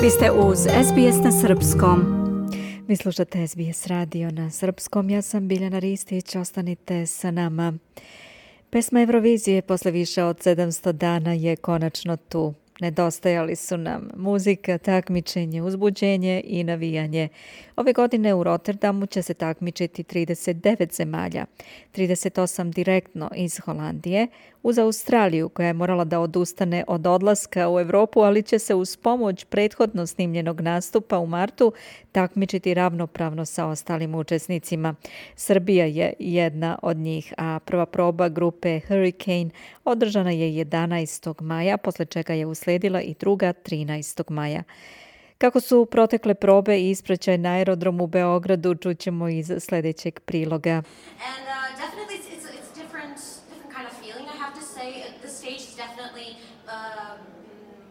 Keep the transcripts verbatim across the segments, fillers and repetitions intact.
Vi ste uz S B S na srpskom. Vi slušate S B S radio na srpskom. Ja sam Biljana Ristić. Ostanite sa nama. Pesma Eurovizije posle više od sedamsto dana je konačno tu. Nedostajali su nam muzika, takmičenje, uzbuđenje i navijanje. Ove godine u Rotterdamu će se takmičiti trideset devet zemalja, trideset osam direktno iz Holandije, uz Australiju koja je morala da odustane od odlaska u Evropu, ali će se uz pomoć prethodno snimljenog nastupa u martu takmičiti ravnopravno sa ostalim učesnicima. Srbija je jedna od njih, a prva proba grupe Hurricane održana je jedanaestog maja, posle čega je usledila i druga trinaestog maja. Kako su protekle probe i ispraćaj na aerodromu u Beogradu, čućemo iz sljedećeg priloga. And uh, definitely it's, it's, it's different, different kind of feeling, I have to say. The stage is definitely uh,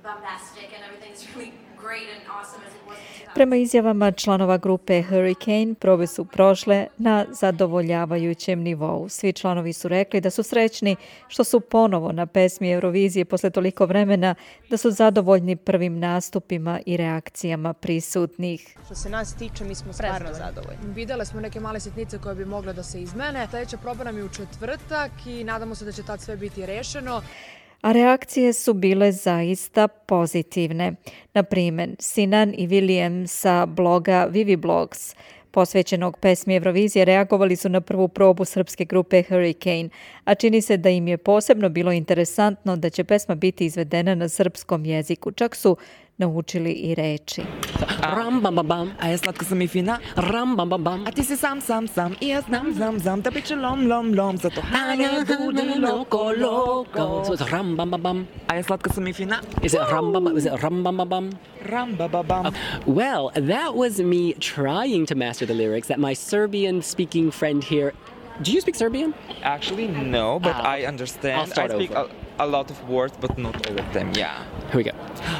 bombastic and everything is really great and awesome as it was. Prema izjavama članova grupe Hurricane, probe su prošle na zadovoljavajućem nivou. Svi članovi su rekli da su srećni što su ponovo na pesmi Eurovizije posle toliko vremena, da su zadovoljni prvim nastupima i reakcijama prisutnih. Što se nas tiče, mi smo stvarno zadovoljni. Vidjeli smo neke male sitnice koje bi mogle da se izmene. Sljedeća proba nam je u četvrtak i nadamo se da će tad sve biti rešeno. A reakcije su bile zaista pozitivne. Na primjer, Sinan i William sa bloga Vivi Blogs, posvećenog pesmi Eurovizije, reagovali su na prvu probu srpske grupe Hurricane, a čini se da im je posebno bilo interesantno da će pesma biti izvedena na srpskom jeziku. Čak su naučili i reči. Ram bam bam bam, a ja slatka sam i fina. Ram bam bam bam, a ti si sam sam sam i ja znam znam znam da biće lom lom lom, zato hane budi loko loko. So it's ram bam bam bam. A ja slatka sam i fina. Is it ram bam? Is it ram bam bam bam? Ram bam bam bam. Uh, well, that was me trying to master the lyrics that my Serbian-speaking friend here. Do you speak Serbian? Actually, no, but Ah, I understand. I'll start I speak over. a, a lot of words, but not all of them. Yeah. Here we go.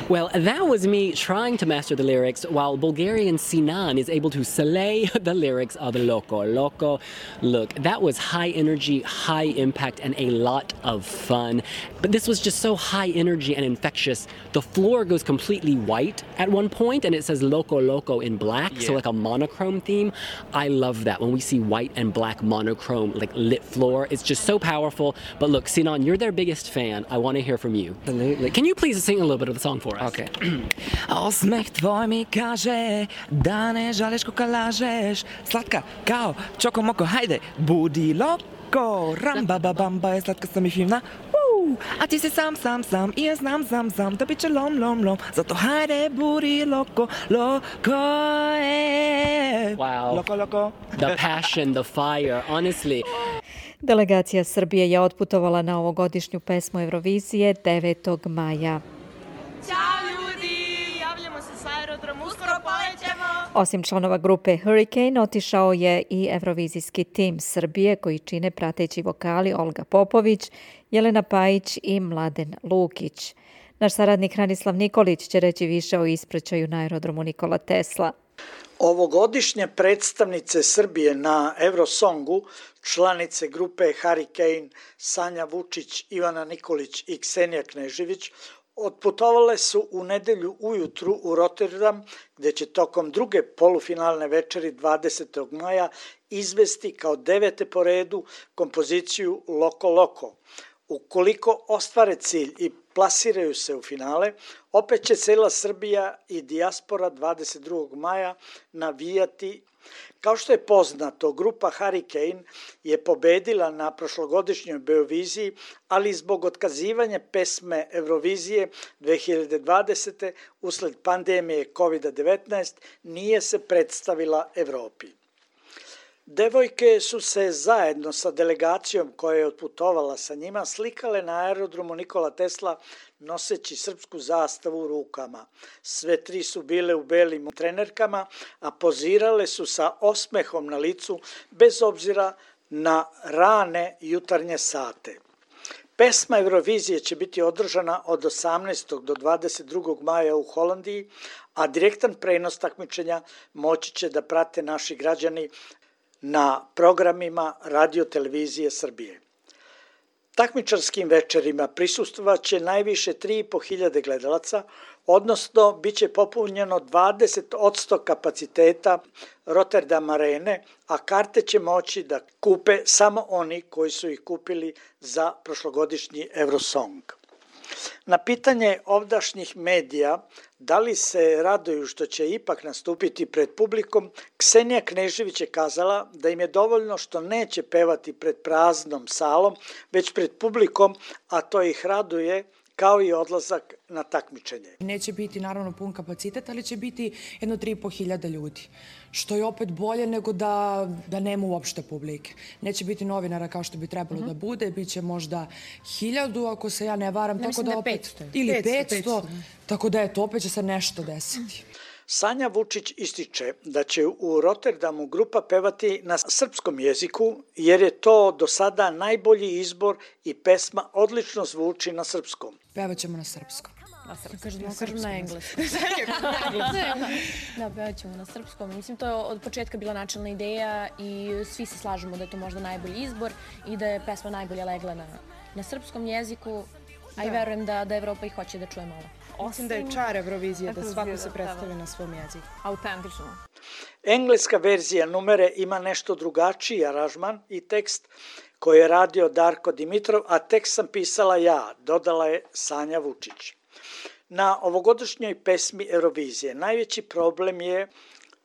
Well, that was me trying to master the lyrics while Bulgarian Sinan is able to slay the lyrics of Loco Loco. Look, that was high energy, high impact, and a lot of fun. But this was just so high energy and infectious. The floor goes completely white at one point, and it says Loco Loco in black, so Yeah. like a monochrome theme. I love that. When we see white and black monochrome, like lit floor, it's just so powerful. But look, Sinan, you're their biggest fan. I want to hear from you. Absolutely. Can you please sing a little bit of the song for us? Okay. Osmeh tvoj mi kaže da ne žališ koga lažeš. Slatka kao čoko moko, hajde, budi loko. Ramba ba bamba je slatka sam i fina. Uh, a ti si sam sam sam i ja znam znam znam da biće lom lom lom. Zato hajde, budi loko, loko je. Wow. Loko loko. The passion, the fire, honestly. Delegacija Srbije je otputovala na ovogodišnju pesmu Eurovizije devetog maja. Ćao ljudi, javljamo se sa aerodromu, uskoro polećemo. Osim članova grupe Hurricane, otišao je i evrovizijski tim Srbije koji čine prateći vokali Olga Popović, Jelena Pajić i Mladen Lukić. Naš saradnik Hranislav Nikolić će reći više o ispraćaju na aerodromu Nikola Tesla. Ovogodišnje predstavnice Srbije na Eurosongu, članice grupe Hurricane Sanja Vučić, Ivana Nikolić i Ksenija Knežević, otputovale su u nedelju ujutru u Rotterdam, gdje će tokom druge polufinalne večeri dvadesetog maja izvesti kao devete po redu kompoziciju Loko Loko. Ukoliko ostvare cilj i plasiraju se u finale, opet će cela Srbija i dijaspora dvadeset drugog maja navijati. Kao što je poznato, grupa Hurricane je pobedila na prošlogodišnjoj Beoviziji, ali zbog otkazivanja pesme Eurovizije dve hiljade dvadesete usled pandemije kovid devetnaest nije se predstavila Evropi. Devojke su se zajedno sa delegacijom koja je otputovala sa njima slikale na aerodromu Nikola Tesla noseći srpsku zastavu u rukama. Sve tri su bile u belim trenerkama, a pozirale su sa osmehom na licu bez obzira na rane jutarnje sate. Pesma Eurovizije će biti održana od osamnaestog do dvadeset drugog maja u Holandiji, a direktan prenos takmičenja moći će da prate naši građani na programima Radio Televizije Srbije. Takmičarskim večerima prisustvovat će najviše tri i po hiljade gledalaca, odnosno bit će popunjeno dvadeset posto kapaciteta Rotterdam arene, a karte će moći da kupe samo oni koji su ih kupili za prošlogodišnji Eurosong. Na pitanje ovdašnjih medija da li se raduju što će ipak nastupiti pred publikom, Ksenija Knežević je kazala da im je dovoljno što neće pevati pred praznom salom, već pred publikom, a to ih raduje kao i odlazak na takmičenje. Neće biti naravno pun kapacitet, ali će biti jedno tri i po hiljada ljudi, što je opet bolje nego da, da nema uopšte publike. Neće biti novinara kao što bi trebalo uh-huh. da bude, bit će možda hiljadu, ako se ja ne varam. Ne, tako mislim da da opet, petsto. Ili petsto, tako da eto, opet će se nešto desiti. Sanja Vučić ističe da će u Rotterdamu grupa pevati na srpskom jeziku jer je to do sada najbolji izbor i pesma odlično zvuči na srpskom. Pevaćemo na srpskom. Na srpskom, kažem, na, kažem na engleskom. Da, pevat ćemo na srpskom. Mislim, to je od početka bila načelna ideja i svi se slažemo da je to možda najbolji izbor i da je pesma najbolje legla na, na srpskom jeziku, a i verujem da, da Evropa i hoće da čuje malo. Mislim da je čar Eurovizije da svako se predstavi na svom jeziku. Autentično. Engleska verzija numere ima nešto drugačiji aranžman i tekst koji je radio Darko Dimitrov, a tekst sam pisala ja, dodala je Sanja Vučić. Na ovogodišnjoj pesmi Eurovizije najveći problem je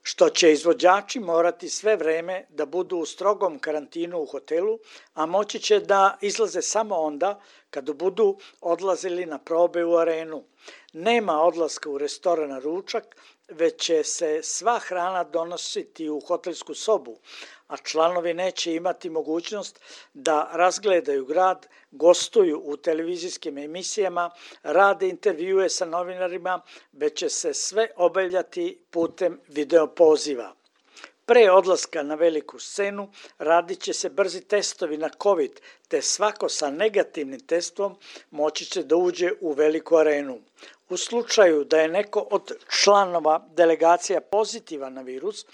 što će izvođači morati sve vreme da budu u strogom karantinu u hotelu, a moći će da izlaze samo onda kada budu odlazili na probe u arenu. Nema odlaska u restoran na ručak, već će se sva hrana donositi u hotelsku sobu, a članovi neće imati mogućnost da razgledaju grad, gostuju u televizijskim emisijama, rade intervjue sa novinarima, već će se sve obavljati putem videopoziva. Pre odlaska na veliku scenu radit će se brzi testovi na COVID, te svako sa negativnim testom moći će da uđe u veliku arenu. U slučaju da je neko od članova delegacija pozitivan na virus,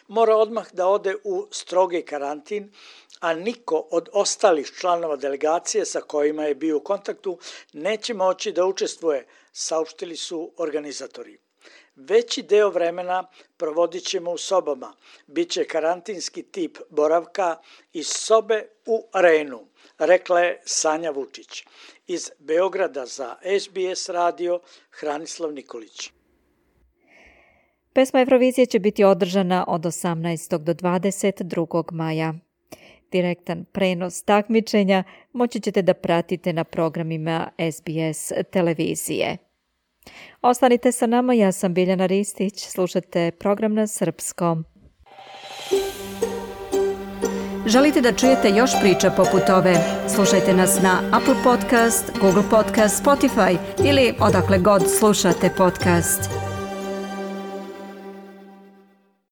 mora odmah da ode u strogi karantin, a niko od ostalih članova delegacije sa kojima je bio u kontaktu neće moći da učestvuje, saopštili su organizatori. Veći deo vremena provodit ćemo u sobama. Biće karantinski tip boravka iz sobe u arenu, rekla je Sanja Vučić. Iz Beograda za S B S radio, Hranislav Nikolić. Pesma Eurovizije će biti održana od osamnaestog do dvadeset drugog maja. Direktan prenos takmičenja moći ćete da pratite na programima S B S televizije. Ostanite sa nama, ja sam Biljana Ristić, slušate program na srpskom. Želite da čujete još priča poput ove? Slušajte nas na Apple Podcast, Google Podcast, Spotify ili odakle god slušate podcast.